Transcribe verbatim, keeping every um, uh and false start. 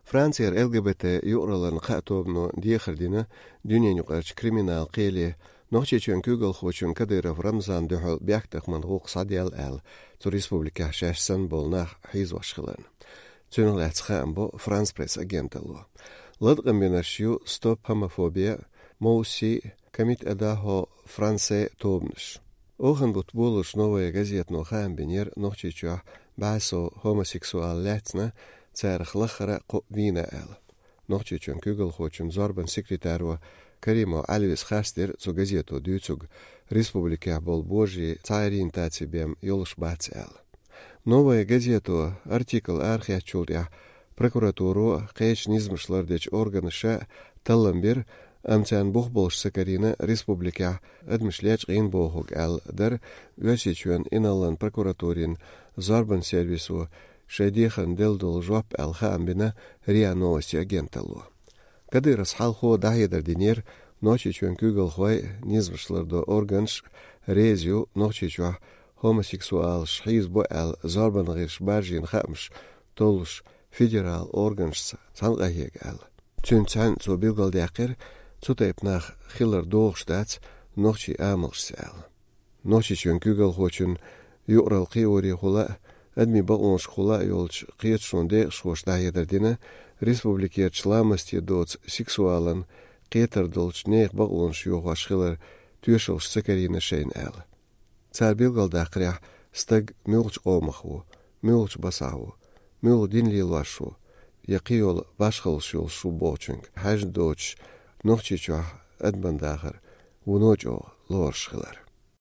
Францера Л Г Б Т юкъараллин кхаа тобано дехар дина дуьненаюкъарчу криминал кхеле Нохчийчоьнан куьйгалхочун Кадыров Рамзанна дуьхьал бехктакхаман гӀуллакх схьаделла аьлла, цу республикехь шаьш санна болу нах хьийзош хиларна. Цунах лаьцна хаам бо Франс Пресс агенталло. Латкъам бинарш ю Стоп Хомофобия, Моуси, Комит Адахо Франсе тобанаш. Охан бутт болуш Новая газетано хаам бинера Нохчийчохь бӀе сов хомосексуал лаьцна, царах лаххара кхоъ вийна аьлла. Нохчийчоьнан куьйгалхочун зорбанан секретаро Каримов Ӏелвис харцдира цу газето дуьйцург, республикехь болу божарий цхьа ориентаци бен йолуш бац аьлла. Новая газето артикл арахецначул тӀаьхьа прокуратуро, кхечу низамаш лардечу органаша таллам бира, амма царна бух болуш ца карийна республикехь адамаш лечкъийна бохург аьлла дара Оьрсийчоьнан инарлин прокуратурин зорбанан сервисо шайн дехарна делла долу жоп аьлла хаам бина РИА Новости агенталло. Кадыровс хьалхо дӀахьедар динера, Нохчийчоьнан куьйгалхой, низамаш лардо органаш реза ю Нохчийчохь хомосексуалаш хьийзабо аьлла зорбанан гӀирсаша баржийна хаамаш толлуш федерал органашца цхьаьна къахьега аьлла. Цуьнца цхьаьна цо билгалдаьккхира, цу тайпа нах хилар догӀуш дац нохчийн амалшца аьлла. Нохчийчоьнан куьйгалхочун юкъаралла кхиорехула а, адамийн бакъонашкахула а йолчу кхеташонан декъашхоша дӀахьедар дина, республикерчу ламасте доцу сексуалан кхетар долчу нехан бакъонаш йохош хилар тоьшаллаш ца карийна шайна аьлла. Цара билгалдаккхарехь, стаг муьлхачу къомах ву, муьлхачу басахь ву, муьлха дин лелош ву, я кхин йолу башхаллаш йолуш ву бохучуьнга хьаьжна доцуш, Нохчийчохь адаман дахар вуно чӀогӀа лоруш хилар.